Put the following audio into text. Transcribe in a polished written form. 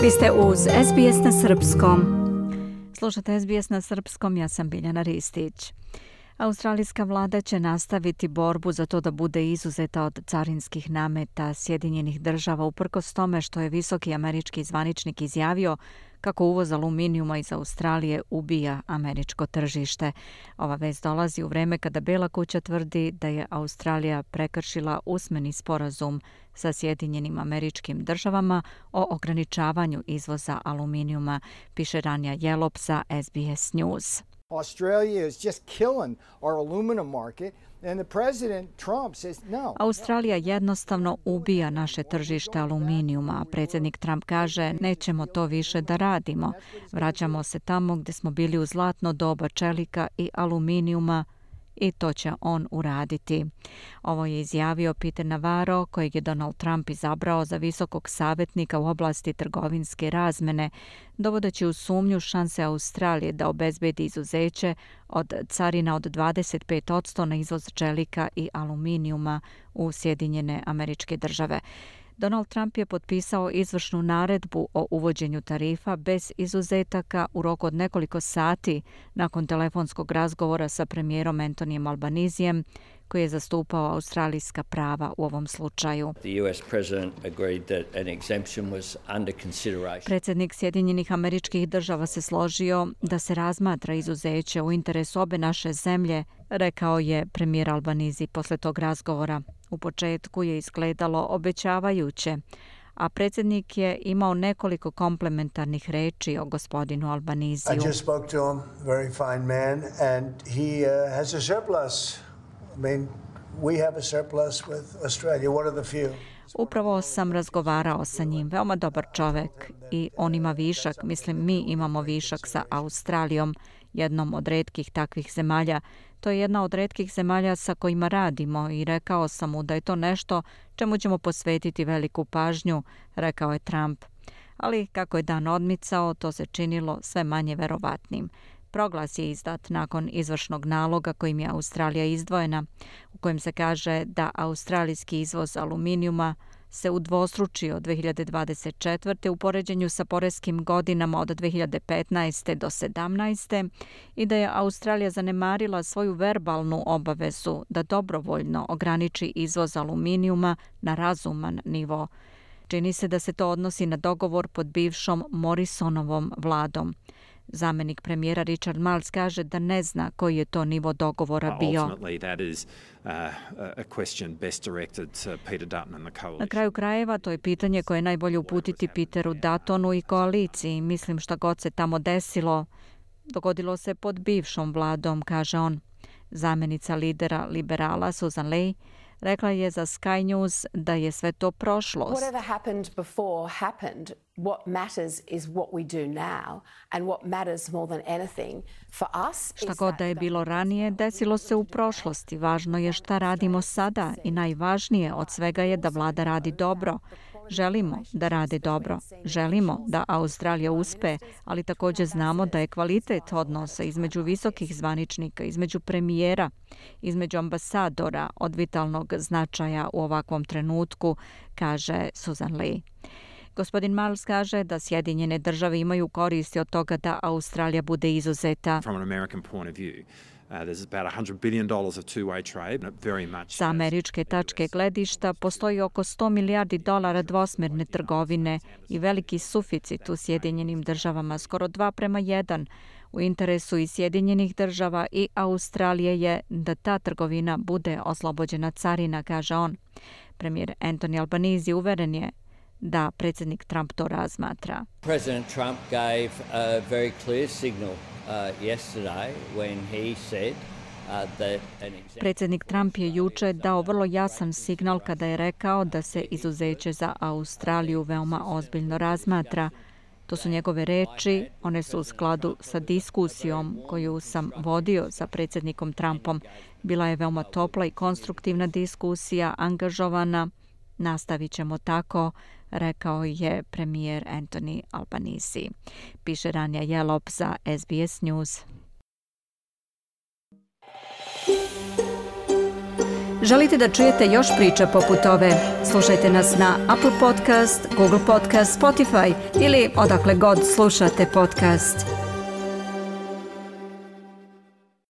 Vi ste uz SBS na srpskom. Slušate SBS na srpskom, ja sam Biljana Ristić. Australijska vlada će nastaviti borbu za to da bude izuzeta od carinskih nameta Sjedinjenih država uprkos tome što je visoki američki zvaničnik izjavio kako uvoz aluminijuma iz Australije ubija američko tržište. Ova vest dolazi u vreme kada Bela kuća tvrdi da je Australija prekršila usmeni sporazum sa Sjedinjenim Američkim Državama o ograničavanju izvoza aluminijuma, piše Rania Jelop za SBS News. Australia is just killing our aluminum market and the president Trump says no. Australija jednostavno ubija naše tržište aluminijuma, a predsjednik Trump kaže nećemo to više da radimo. Vraćamo se tamo gdje smo bili u zlatno doba čelika i aluminijuma i to će on uraditi. Ovo je izjavio Peter Navarro, kojeg je Donald Trump izabrao za visokog savjetnika u oblasti trgovinske razmene, dovodeći u sumnju šanse Australije da obezbedi izuzeće od carina od 25% na izvoz čelika i aluminijuma u Sjedinjene Američke Države. Donald Trump je potpisao izvršnu naredbu o uvođenju tarifa bez izuzetaka u roku od nekoliko sati nakon telefonskog razgovora sa premijerom Antonijem Albanizijem, koji je zastupao australijska prava u ovom slučaju. Predsjednik Sjedinjenih Američkih Država se složio da se razmatra izuzeće u interesu obe naše zemlje, rekao je premijer Albanizi posle tog razgovora. U početku je izgledalo obećavajuće, a predsjednik je imao nekoliko komplementarnih reči o gospodinu Albaniziju. I just spoke to him, very fine man, and he has a surplus. I mean, we have a surplus with Australia, one of the few. Upravo sam razgovarao sa njim, veoma dobar čovek i on ima višak, mislim mi imamo višak sa Australijom, jednom od retkih takvih zemalja. To je jedna od retkih zemalja sa kojima radimo i rekao sam mu da je to nešto čemu ćemo posvetiti veliku pažnju, rekao je Trump. Ali kako je dan odmicao, to se činilo sve manje verovatnim. Proglas je izdat nakon izvršnog naloga kojim je Australija izdvojena, u kojem se kaže da australijski izvoz aluminijuma se udvostručio 2024. u poređenju sa poreskim godinama od 2015. do 2017. i da je Australija zanemarila svoju verbalnu obavezu da dobrovoljno ograniči izvoz aluminijuma na razuman nivo. Čini se da se to odnosi na dogovor pod bivšom Morrisonovom vladom. Zamenik premijera Richard Marles kaže da ne zna koji je to nivo dogovora bio. Na kraju krajeva to je pitanje koje je najbolje uputiti Peteru Duttonu i koaliciji. Mislim šta god se tamo desilo, dogodilo se pod bivšom vladom, kaže on. Zamenica lidera liberala Susan Ley rekla je za Sky News da je sve to prošlost. Whatever happened before happened. What matters is what we do now and what matters more than anything for us. Šta god da je bilo ranije, desilo se u prošlosti. Važno je šta radimo sada i najvažnije od svega je da vlada radi dobro. Želimo da rade dobro. Želimo da Australija uspe, ali također znamo da je kvalitet odnosa između visokih zvaničnika, između premijera, između ambasadora od vitalnog značaja u ovakvom trenutku, kaže Susan Ley. Gospodin Marles kaže da Sjedinjene države imaju koristi od toga da Australija bude izuzeta. Sa američke tačke gledišta postoji oko $100 milijardi dvosmjerne trgovine i veliki suficit u Sjedinjenim državama, skoro 2:1. U interesu i Sjedinjenih država i Australije je da ta trgovina bude oslobođena carina, kaže on. Premijer Anthony Albanese uveren je da predsjednik Trump to razmatra. President Trump gave a very clear signal yesterday when he said Predsjednik Trump je juče dao vrlo jasan signal kada je rekao da se izuzeće za Australiju veoma ozbiljno razmatra. To su njegove reči, one su u skladu sa diskusijom koju sam vodio sa predsjednikom Trumpom. Bila je veoma topla i konstruktivna diskusija, angažovana. Nastavit ćemo tako, rekao je premijer Anthony Albanese. Piše Rania Jelop za SBS News. Želite da čujete još priča poput ove? Slušajte nas na Apple Podcast, Google Podcast, Spotify ili odakle god slušate podcast.